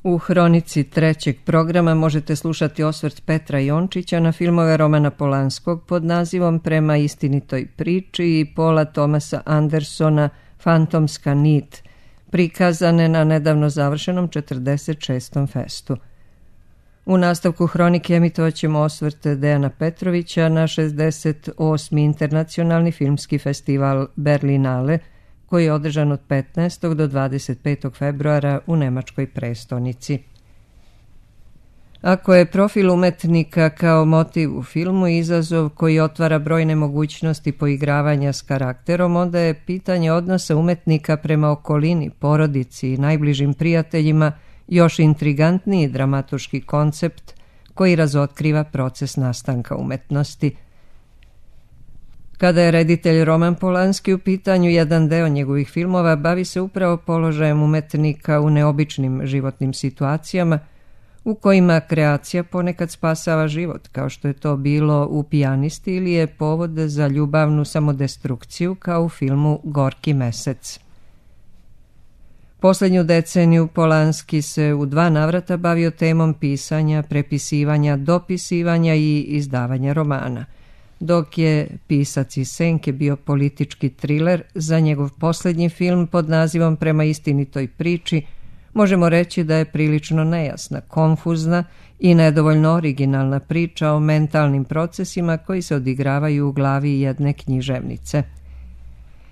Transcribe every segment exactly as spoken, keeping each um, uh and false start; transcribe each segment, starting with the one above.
U hronici trećeg programa možete slušati osvrt Petra Jončića na filmove Romana Polanskog pod nazivom Prema istinitoj priči i Paula Thomasa Andersona Fantomska nit, prikazane na nedavno završenom četrdeset šestom festu. U nastavku hronike emitovat ćemo osvrt Dejana Petrovića na šezdeset osmi internacionalni filmski festival Berlinale, koji je održan od petnaestog do dvadeset petog februara u nemačkoj prestonici. Ako je profil umetnika kao motiv u filmu izazov koji otvara brojne mogućnosti poigravanja s karakterom, onda je pitanje odnosa umetnika prema okolini, porodici i najbližim prijateljima još intrigantniji dramaturški koncept koji razotkriva proces nastanka umetnosti. Kada je reditelj Roman Polanski u pitanju, jedan deo njegovih filmova bavi se upravo položajem umetnika u neobičnim životnim situacijama u kojima kreacija ponekad spasava život, kao što je to bilo u Pijanisti ili je povod za ljubavnu samodestrukciju kao u filmu Gorki mesec. Poslednju deceniju Polanski se u dva navrata bavio temom pisanja, prepisivanja, dopisivanja i izdavanja romana. Dok je Pisac iz senke bio politički triler, za njegov poslednji film pod nazivom Prema istinitoj priči možemo reći da je prilično nejasna, konfuzna i nedovoljno originalna priča o mentalnim procesima koji se odigravaju u glavi jedne književnice.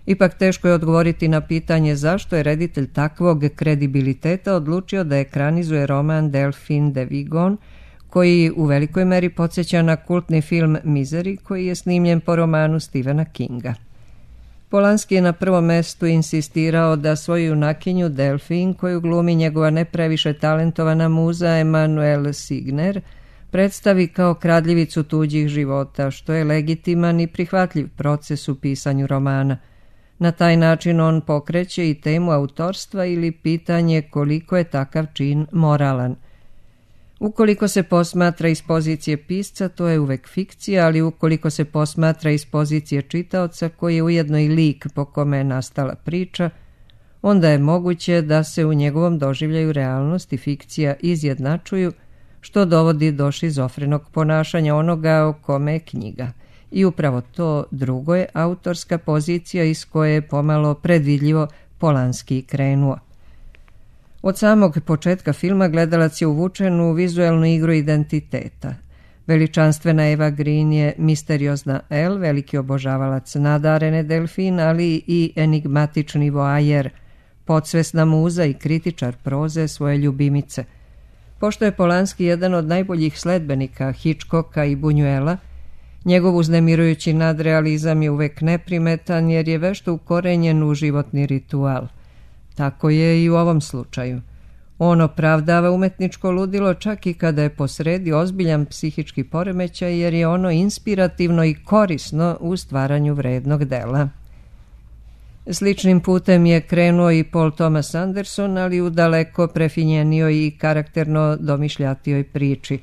Ipak teško je odgovoriti na pitanje zašto je reditelj takvog kredibiliteta odlučio da ekranizuje roman Delphine de Vigan, koji u velikoj meri podsjeća na kultni film Misery, koji je snimljen po romanu Stephena Kinga. Polanski je na prvom mestu insistirao da svoju junakinju Delphine, koju glumi njegova ne previše talentovana muza Emanuelle Signer, predstavi kao kradljivicu tuđih života, što je legitiman i prihvatljiv proces u pisanju romana. Na taj način on pokreće i temu autorstva ili pitanje koliko je takav čin moralan. Ukoliko se posmatra iz pozicije pisca, to je uvek fikcija, ali ukoliko se posmatra iz pozicije čitaoca, koji je ujedno i lik po kome je nastala priča, onda je moguće da se u njegovom doživljaju realnost i fikcija izjednačuju, što dovodi do šizofrenog ponašanja onoga o kome je knjiga. I upravo to drugo je autorska pozicija iz koje je pomalo predvidljivo Polanski krenuo. Od samog početka filma gledalac je uvučen u vizuelnu igru identiteta. Veličanstvena Eva Green je misteriozna Elle, veliki obožavalac nadarene Delphine, ali i enigmatični voajer, podsvesna muza i kritičar proze svoje ljubimice. Pošto je Polanski jedan od najboljih sledbenika Hitchcocka i Buñuela, njegov uznemirujući nadrealizam je uvek neprimetan jer je vešto ukorenjen u životni ritual. Tako je i u ovom slučaju. On opravdava umetničko ludilo čak i kada je posredi ozbiljan psihički poremećaj jer je ono inspirativno i korisno u stvaranju vrednog dela. Sličnim putem je krenuo i Paul Thomas Anderson, ali u daleko prefinjenijoj i karakterno domišljatijoj priči.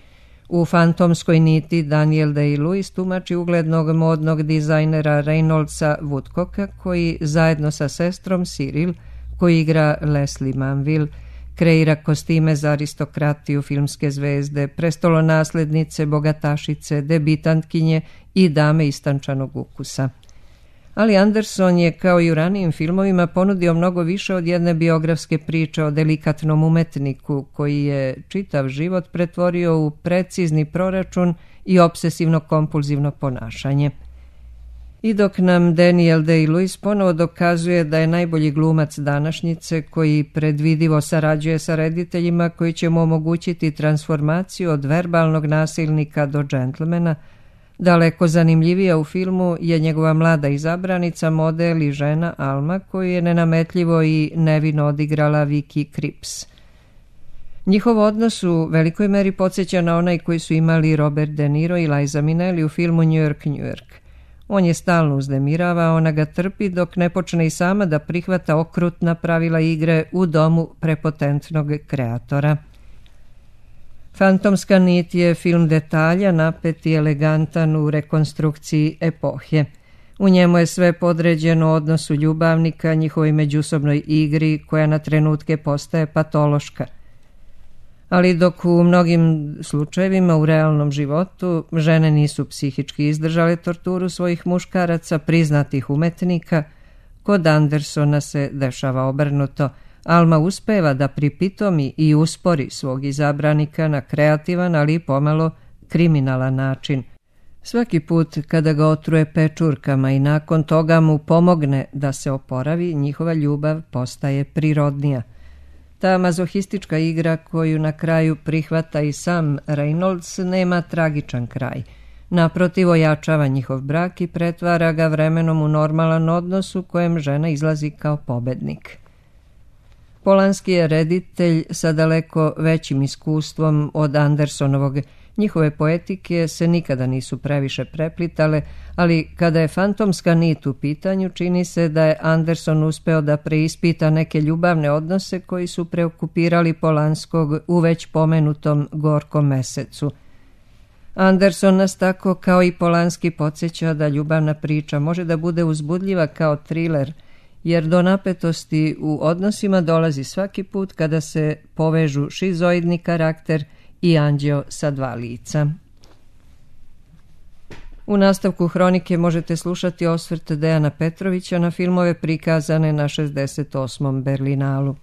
U Fantomskoj niti Daniel Day-Lewis tumači uglednog modnog dizajnera Reynoldsa Woodcocka, koji zajedno sa sestrom Cyril, koji igra Leslie Manville, kreira kostime za aristokratiju, filmske zvezde, prestolonaslednice, bogatašice, debitantkinje i dame istančanog ukusa. Ali Anderson je, kao i u ranijim filmovima, ponudio mnogo više od jedne biografske priče o delikatnom umetniku koji je čitav život pretvorio u precizni proračun i obsesivno-kompulzivno ponašanje. I dok nam Daniel Day-Lewis ponovo dokazuje da je najbolji glumac današnjice koji predvidivo sarađuje sa rediteljima koji će mu omogućiti transformaciju od verbalnog nasilnika do džentlmena, daleko zanimljivija u filmu je njegova mlada izabranica, model i žena Alma, koju je nenametljivo i nevino odigrala Vicky Krieps. Njihov odnos u velikoj meri podsjeća na onaj koji su imali Robert De Niro i Liza Minnelli u filmu New York, New York. On je stalno uznemirava, ona ga trpi dok ne počne i sama da prihvata okrutna pravila igre u domu prepotentnog kreatora. Fantomska nit je film detalja, napet i elegantan u rekonstrukciji epohe. U njemu je sve podređeno odnosu ljubavnika, njihovoj međusobnoj igri koja na trenutke postaje patološka. Ali dok u mnogim slučajevima u realnom životu žene nisu psihički izdržale torturu svojih muškaraca, priznatih umetnika, kod Andersona se dešava obrnuto. Alma uspeva da pripitomi i uspori svog izabranika na kreativan, ali i pomalo kriminalan način. Svaki put kada ga otruje pečurkama i nakon toga mu pomogne da se oporavi, njihova ljubav postaje prirodnija. Ta mazohistička igra koju na kraju prihvata i sam Reynolds nema tragičan kraj. Naprotiv, ojačava njihov brak i pretvara ga vremenom u normalan odnos u kojem žena izlazi kao pobednik. Polanski je reditelj sa daleko većim iskustvom od Andersonovog. Njihove poetike se nikada nisu previše preplitale, ali kada je fantomska nit u pitanju, čini se da je Anderson uspeo da preispita neke ljubavne odnose koji su preokupirali Polanskog u već pomenutom Gorkom mesecu. Anderson nas tako kao i Polanski podsjeća da ljubavna priča može da bude uzbudljiva kao triler, jer do napetosti u odnosima dolazi svaki put kada se povežu šizoidni karakter i anđeo sa dva lica. U nastavku hronike možete slušati osvrt Dejana Petrovića na filmove prikazane na šezdeset osmom Berlinalu.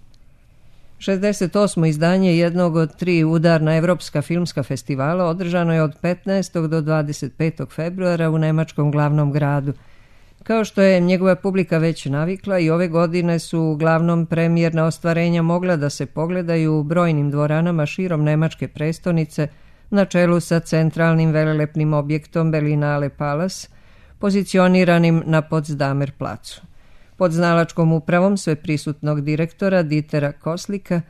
šezdeset osmo izdanje jednog od tri udarna evropska filmska festivala održano je od petnaestog do dvadeset petog februara u nemačkom glavnom gradu. Kao što je njegova publika već navikla, i ove godine su uglavnom premijerna ostvarenja mogla da se pogledaju u brojnim dvoranama širom nemačke prestonice, na čelu sa centralnim velelepnim objektom Berlinale Palace, pozicioniranim na Potsdamer placu. Pod znalačkom upravom sveprisutnog direktora Dietera Koslika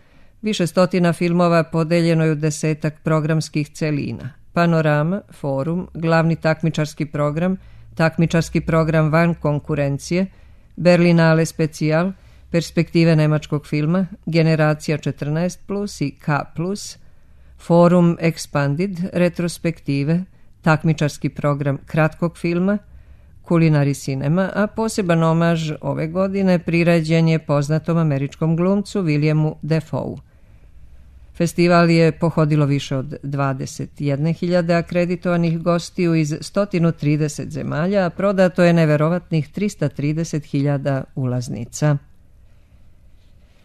više stotina filmova podeljeno je u desetak programskih celina: Panorama, Forum, glavni takmičarski program, takmičarski program van konkurencije, Berlinale Specijal, perspektive nemačkog filma, Generacija četrnaest plus i K plus, Forum Expanded, retrospektive, takmičarski program kratkog filma, Kulinari Cinema, a poseban omaž ove godine priređen je poznatom američkom glumcu Williamu Defoe. Festival je pohodilo više od dvadeset jedne hiljade akreditovanih gostiju iz sto trideset zemalja, a prodato je neverovatnih trista trideset hiljada ulaznica.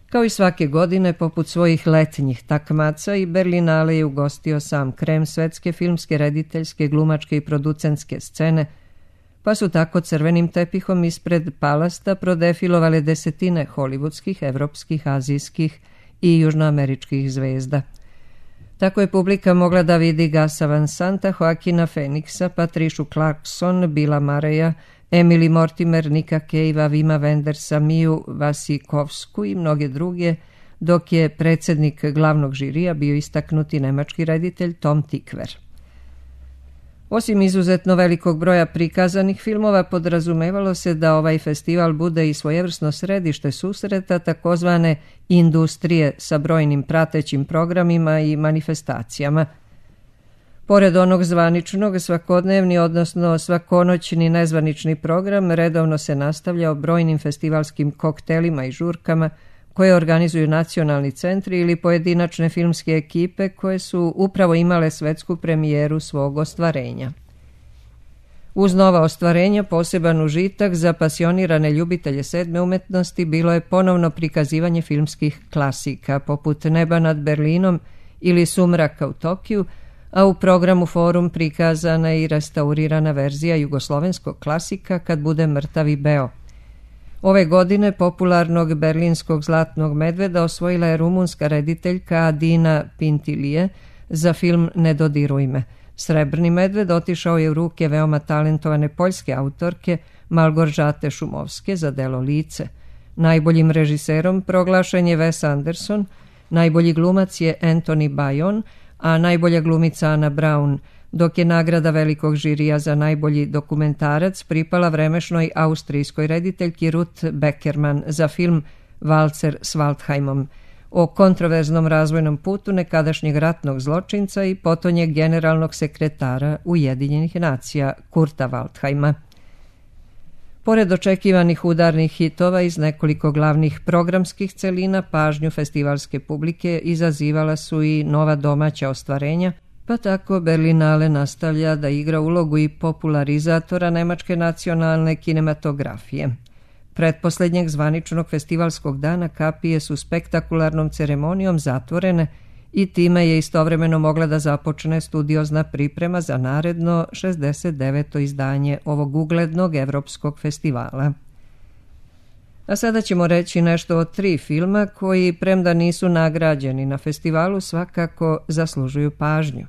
Kao i svake godine, poput svojih letnjih takmaca, i Berlinale je ugostio sam krem svetske filmske, rediteljske, glumačke i producentske scene, pa su tako crvenim tepihom ispred Palasta prodefilovale desetine hollywoodskih, evropskih, azijskih i južnoameričkih zvezda. Tako je publika mogla da vidi Gasa Van Santa, Joaquina Phoenixa, Patricia Clarkson, Billa Murraya, Emily Mortimer, Nika Cavea, Vima Wendersa, Miju Vasikovsku i mnoge druge, dok je predsjednik glavnog žirija bio istaknuti nemački reditelj Tom Tykwer. Osim izuzetno velikog broja prikazanih filmova, podrazumevalo se da ovaj festival bude i svojevrsno središte susreta takozvane industrije sa brojnim pratećim programima i manifestacijama. Pored onog zvaničnog, svakodnevni, odnosno svakonoćni nezvanični program redovno se nastavljao brojnim festivalskim koktelima i žurkama koje organizuju nacionalni centri ili pojedinačne filmske ekipe koje su upravo imale svetsku premijeru svog ostvarenja. Uz nova ostvarenja, poseban užitak za pasionirane ljubitelje sedme umetnosti bilo je ponovno prikazivanje filmskih klasika poput Neba nad Berlinom ili Sumraka u Tokiju, a u programu Forum prikazana je i restaurirana verzija jugoslovenskog klasika Kad bude mrtav i beo. Ove godine popularnog berlinskog Zlatnog medveda osvojila je rumunska rediteljka Adina Pintilije za film Ne dodiruj me. Srebrni medved otišao je u ruke veoma talentovane poljske autorke Malgorzate Šumovske za delo Lice. Najboljim režiserom proglašen je Wes Anderson, najbolji glumac je Anthony Bajon, a najbolja glumica Ana Brown, dok je nagrada velikog žirija za najbolji dokumentarac pripala vremešnoj austrijskoj rediteljki Ruth Beckerman za film Valcer s Waldheimom o kontroverznom razvojnom putu nekadašnjeg ratnog zločinca i potonjeg generalnog sekretara Ujedinjenih nacija Kurta Waldheima. Pored očekivanih udarnih hitova iz nekoliko glavnih programskih celina, pažnju festivalske publike izazivala su i nova domaća ostvarenja, pa tako Berlinale nastavlja da igra ulogu i popularizatora nemačke nacionalne kinematografije. Pretposlednjeg zvaničnog festivalskog dana kapije su spektakularnom ceremonijom zatvorene i time je istovremeno mogla da započne studiozna priprema za naredno šezdeset deveto izdanje ovog uglednog evropskog festivala. A sada ćemo reći nešto o tri filma koji, premda nisu nagrađeni na festivalu, svakako zaslužuju pažnju.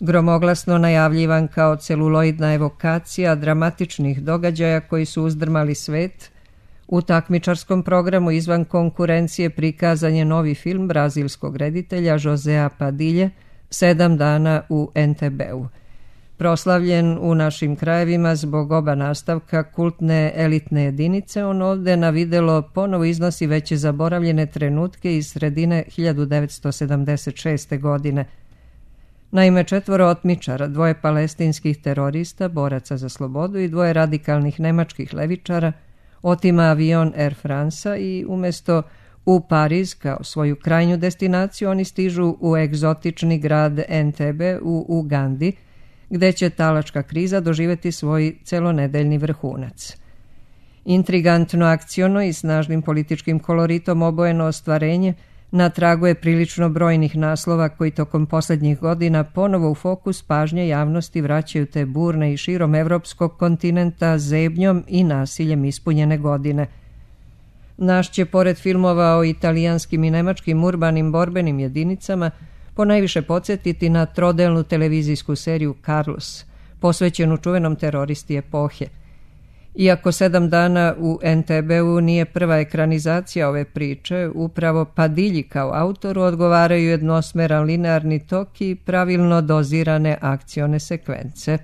Gromoglasno najavljivan kao celuloidna evokacija dramatičnih događaja koji su uzdrmali svet, u takmičarskom programu izvan konkurencije prikazan je novi film brazilskog reditelja Josea Padilje Sedam dana u en te beu. Proslavljen u našim krajevima zbog oba nastavka kultne elitne jedinice, on ovde na videlo ponovo iznosi već zaboravljene trenutke iz sredine hiljadu devetsto sedamdeset šeste. godine. Naime, četvoro otmičara, dvoje palestinskih terorista, boraca za slobodu i dvoje radikalnih nemačkih levičara otima avion Air Franca i umjesto u Pariz kao svoju krajnju destinaciju oni stižu u egzotični grad Entebbe u Ugandi, gde će talačka kriza doživjeti svoj celonedeljni vrhunac. Intrigantno akciono i snažnim političkim koloritom obojeno ostvarenje na tragu je prilično brojnih naslova koji tokom posljednjih godina ponovo u fokus pažnje javnosti vraćaju te burne i širom evropskog kontinenta zebnjom i nasiljem ispunjene godine. Naš će, pored filmova o italijanskim i nemačkim urbanim borbenim jedinicama, ponajviše podsjetiti na trodelnu televizijsku seriju Carlos, posvećenu čuvenom teroristi epohe. Iako Sedam dana u en te beu nije prva ekranizacija ove priče, upravo Padilji kao autoru odgovaraju jednosmeran linearni tok i pravilno dozirane akcione sekvence.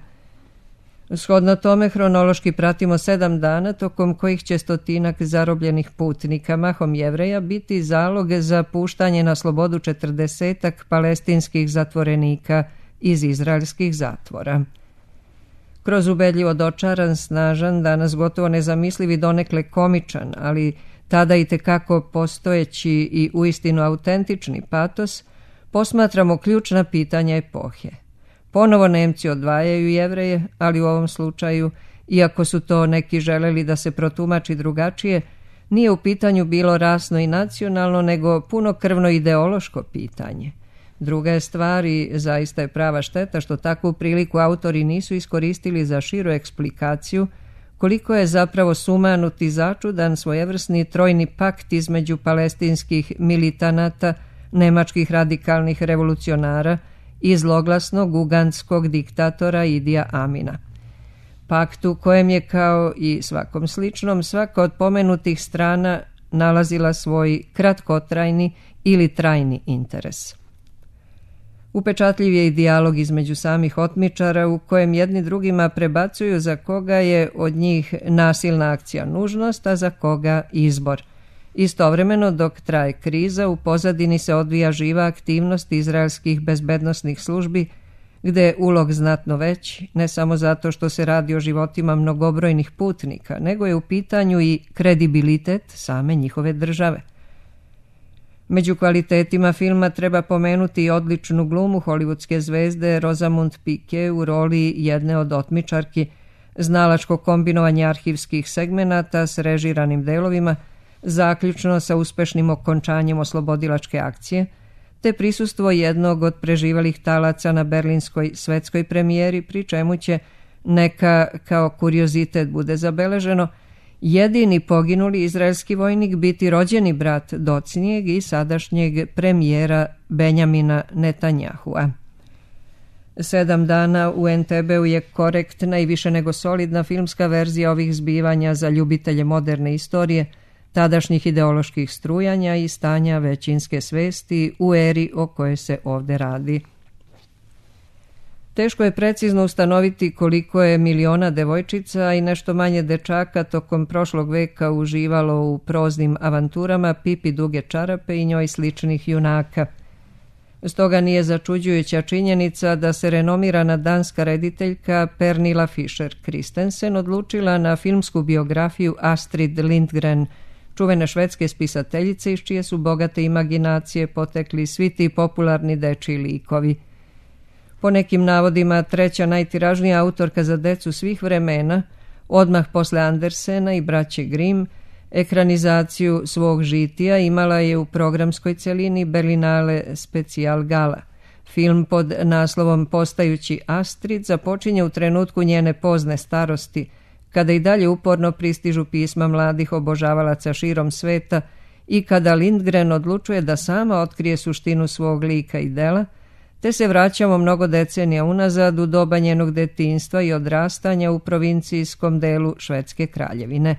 Shodno tome hronološki pratimo sedam dana tokom kojih će stotinak zarobljenih putnika, mahom Jevreja, biti zalog za puštanje na slobodu četrdesetak palestinskih zatvorenika iz izraelskih zatvora. Kroz ubedljivo dočaran, snažan, danas gotovo nezamisliv i donekle komičan, ali tada i tekako postojeći i uistinu autentični patos, posmatramo ključna pitanja epohe. Ponovo Nemci odvajaju Jevreje, ali u ovom slučaju, iako su to neki želeli da se protumači drugačije, nije u pitanju bilo rasno i nacionalno, nego punokrvno ideološko pitanje. Druga je stvar i zaista je prava šteta što takvu priliku autori nisu iskoristili za širu eksplikaciju koliko je zapravo sumanut i začudan svojevrsni trojni pakt između palestinskih militanata, nemačkih radikalnih revolucionara i zloglasnog ugandskog diktatora Idija Amina. Pakt u kojem je, kao i svakom sličnom, svaka od pomenutih strana nalazila svoj kratkotrajni ili trajni interes. Upečatljiv je i dijalog između samih otmičara u kojem jedni drugima prebacuju za koga je od njih nasilna akcija nužnost, a za koga izbor. Istovremeno, dok traje kriza, u pozadini se odvija živa aktivnost izraelskih bezbednosnih službi, gde je ulog znatno veći, ne samo zato što se radi o životima mnogobrojnih putnika, nego je u pitanju i kredibilitet same njihove države. Među kvalitetima filma treba pomenuti i odličnu glumu hollywoodske zvezde Rosamund Pike u roli jedne od otmičarki, znalačko kombinovanje arhivskih segmenata s režiranim delovima, zaključno sa uspešnim okončanjem oslobodilačke akcije, te prisustvo jednog od preživalih talaca na berlinskoj svetskoj premijeri, pri čemu će, neka kao kuriozitet bude zabeleženo, jedini poginuli izraelski vojnik biti rođeni brat docnijeg i sadašnjeg premijera Benjamina Netanjahua. Sedam dana u en te beu je korektna i više nego solidna filmska verzija ovih zbivanja za ljubitelje moderne istorije, tadašnjih ideoloških strujanja i stanja većinske svesti u eri o kojoj se ovde radi. Teško je precizno ustanoviti koliko je miliona devojčica i nešto manje dečaka tokom prošlog veka uživalo u proznim avanturama Pipi duge čarape i njoj sličnih junaka. Stoga nije začuđujuća činjenica da se renomirana danska rediteljka Pernilla Fischer Christensen odlučila na filmsku biografiju Astrid Lindgren, čuvene švedske spisateljice iz čije su bogate imaginacije potekli svi ti popularni dečiji likovi. Po nekim navodima treća najtiražnija autorka za decu svih vremena, odmah posle Andersena i braće Grimm, ekranizaciju svog žitija imala je u programskoj celini Berlinale Specijal Gala. Film pod naslovom Postajući Astrid započinje u trenutku njene pozne starosti, kada i dalje uporno pristižu pisma mladih obožavalaca širom sveta i kada Lindgren odlučuje da sama otkrije suštinu svog lika i dela, te se vraćamo mnogo decenija unazad u doba njenog detinjstva i odrastanja u provincijskom delu Švedske kraljevine.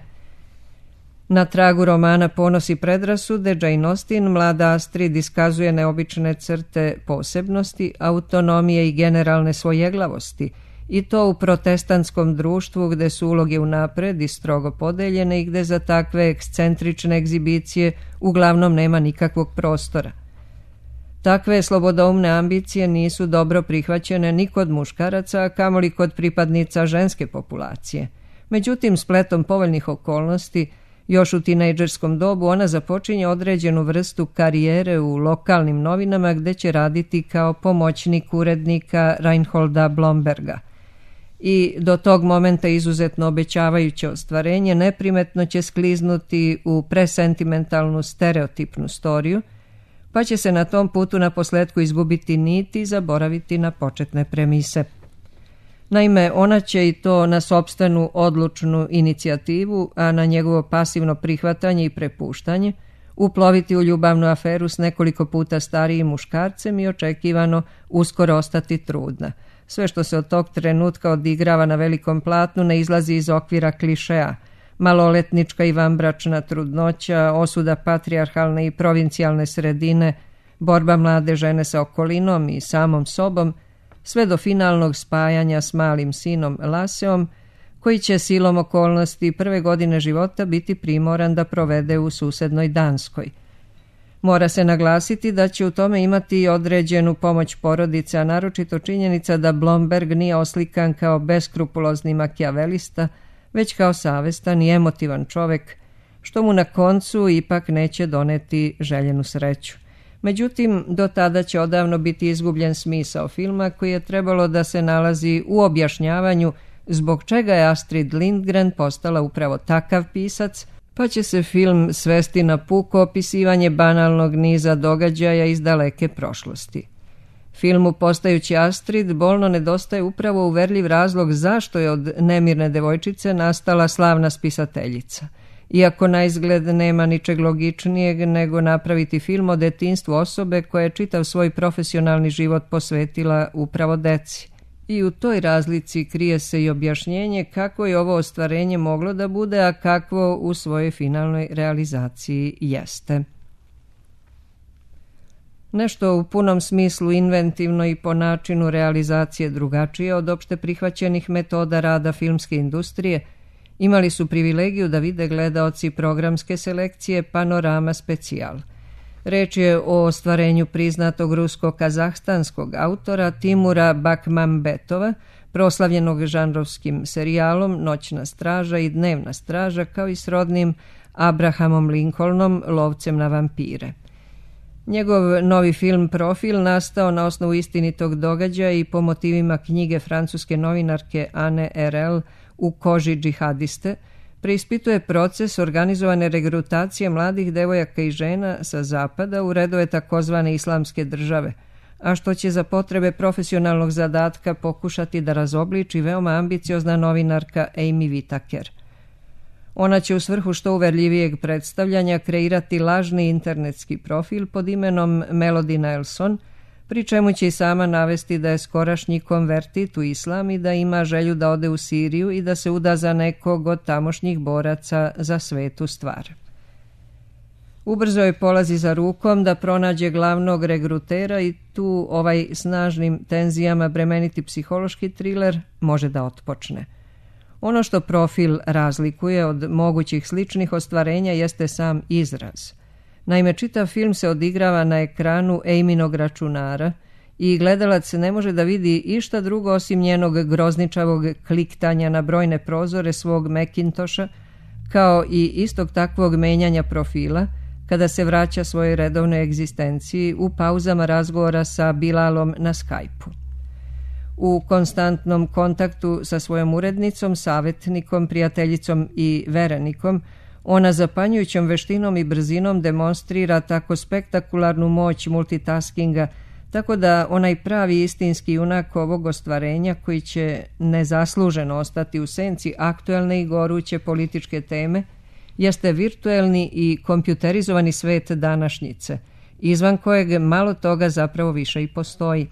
Na tragu romana Ponos i predrasude Jane Austen mlada Astrid iskazuje neobične crte posebnosti, autonomije i generalne svojeglavosti, i to u protestantskom društvu gde su uloge unapred i strogo podeljene i gde za takve ekscentrične egzibicije uglavnom nema nikakvog prostora. Takve slobodoumne ambicije nisu dobro prihvaćene ni kod muškaraca, a kamoli kod pripadnica ženske populacije. Međutim, spletom povoljnih okolnosti, još u tinejdžerskom dobu ona započinje određenu vrstu karijere u lokalnim novinama gde će raditi kao pomoćnik urednika Reinholda Blomberga. I do tog momenta izuzetno obećavajuće ostvarenje neprimetno će skliznuti u presentimentalnu stereotipnu storiju, pa će se na tom putu na posledku izgubiti niti i zaboraviti na početne premise. Naime, ona će i to na sopstvenu odlučnu inicijativu, a na njegovo pasivno prihvatanje i prepuštanje, uploviti u ljubavnu aferu s nekoliko puta starijim muškarcem i očekivano uskoro ostati trudna. Sve što se od tog trenutka odigrava na velikom platnu ne izlazi iz okvira klišeja. Maloletnička i vanbračna trudnoća, osuda patrijarhalne i provincijalne sredine, borba mlade žene sa okolinom i samom sobom, sve do finalnog spajanja s malim sinom Laseom, koji će silom okolnosti prve godine života biti primoran da provede u susednoj Danskoj. Mora se naglasiti da će u tome imati određenu pomoć porodice, a naročito činjenica da Blomberg nije oslikan kao beskrupulozni makijavelista, već kao savestan i emotivan čovek, što mu na koncu ipak neće doneti željenu sreću. Međutim, do tada će odavno biti izgubljen smisao filma koji je trebalo da se nalazi u objašnjavanju zbog čega je Astrid Lindgren postala upravo takav pisac, pa će se film svesti na puko opisivanje banalnog niza događaja iz daleke prošlosti. Filmu Postajući Astrid bolno nedostaje upravo uverljiv razlog zašto je od nemirne devojčice nastala slavna spisateljica. Iako na izgled nema ničeg logičnijeg nego napraviti film o detinjstvu osobe koja je čitav svoj profesionalni život posvetila upravo deci. I u toj razlici krije se i objašnjenje kako je ovo ostvarenje moglo da bude, a kakvo u svojoj finalnoj realizaciji jeste. Nešto u punom smislu inventivno i po načinu realizacije drugačije od opšte prihvaćenih metoda rada filmske industrije, imali su privilegiju da vide gledaoci programske selekcije Panorama Specijal. Reč je o ostvarenju priznatog rusko-kazahstanskog autora Timura Bakmambetova, proslavljenog žanrovskim serijalom Noćna straža i Dnevna straža, kao i srodnim Abrahamom Lincolnom, lovcem na vampire. Njegov novi film Profil, nastao na osnovu istinitog događaja i po motivima knjige francuske novinarke Anne Erel U koži džihadiste, preispituje proces organizovane regrutacije mladih devojaka i žena sa zapada u redove takozvane islamske države, a što će za potrebe profesionalnog zadatka pokušati da razobliči veoma ambiciozna novinarka Amy Whitaker. Ona će u svrhu što uverljivijeg predstavljanja kreirati lažni internetski profil pod imenom Melody Nelson, pri čemu će i sama navesti da je skorašnji konvertit u islam i da ima želju da ode u Siriju i da se uda za nekog od tamošnjih boraca za svetu stvar. Ubrzo joj polazi za rukom da pronađe glavnog regrutera i tu ovaj snažnim tenzijama bremeniti psihološki triler može da otpočne. Ono što Profil razlikuje od mogućih sličnih ostvarenja jeste sam izraz. Naime, čitav film se odigrava na ekranu Amynog računara i gledalac ne može da vidi išta drugo osim njenog grozničavog kliktanja na brojne prozore svog Macintosha, kao i istog takvog menjanja profila kada se vraća svojoj redovnoj egzistenciji u pauzama razgovora sa Bilalom na Skype-u. U konstantnom kontaktu sa svojom urednicom, savjetnikom, prijateljicom i verenikom, ona zapanjujućom veštinom i brzinom demonstrira tako spektakularnu moć multitaskinga, tako da onaj pravi istinski junak ovog ostvarenja, koji će nezasluženo ostati u senci aktuelne i goruće političke teme, jeste virtuelni i kompjuterizovani svet današnjice, izvan kojeg malo toga zapravo više i postoji.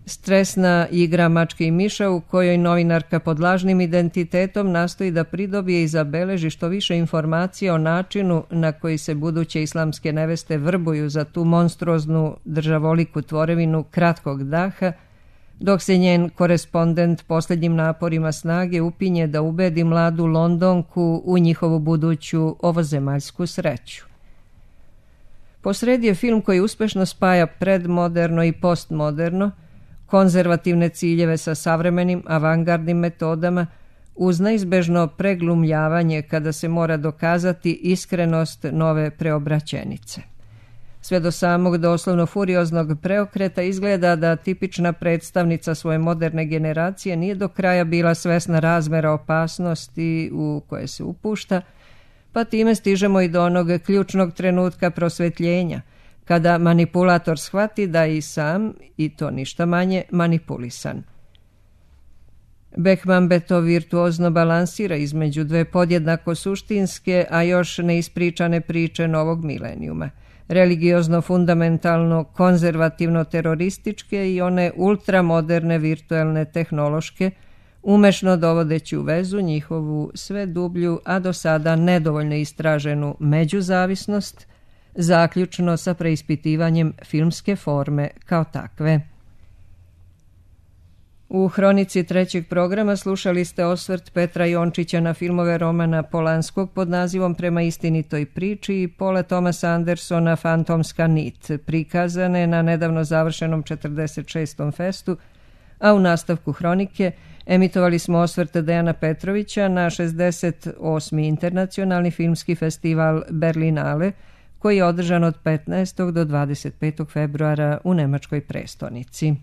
Stresna igra mačke i miša u kojoj novinarka pod lažnim identitetom nastoji da pridobije i zabeleži što više informacija o načinu na koji se buduće islamske neveste vrbuju za tu monstruoznu državoliku tvorevinu kratkog daha, dok se njen korespondent posljednjim naporima snage upinje da ubedi mladu Londonku u njihovu buduću ovozemaljsku sreću. Posredi je film koji uspešno spaja predmoderno i postmoderno, konzervativne ciljeve sa savremenim avangardnim metodama, uz neizbežno preglumljavanje kada se mora dokazati iskrenost nove preobraćenice. Sve do samog doslovno furioznog preokreta izgleda da tipična predstavnica svoje moderne generacije nije do kraja bila svesna razmera opasnosti u koje se upušta, pa time stižemo i do onog ključnog trenutka prosvetljenja, kada manipulator shvati da je i sam, i to ništa manje, manipulisan. Beckman to virtuozno balansira između dve podjednako suštinske, a još neispričane priče novog milenijuma, religiozno fundamentalno konzervativno terorističke i one ultramoderne virtuelne tehnološke, umešno dovodeći u vezu njihovu sve dublju, a do sada nedovoljno istraženu međuzavisnost, zaključno sa preispitivanjem filmske forme kao takve. U hronici trećeg programa slušali ste osvrt Petra Jončića na filmove Romana Polanskog pod nazivom Prema istinitoj priči i Paula Thomasa Andersona Fantomska nit, prikazane na nedavno završenom četrdeset šestom festu, a u nastavku hronike emitovali smo osvrt Dejana Petrovića na šezdeset osmi internacionalni filmski festival Berlinale, koji je održan od petnaestog do dvadeset petog februara u nemačkoj prestonici.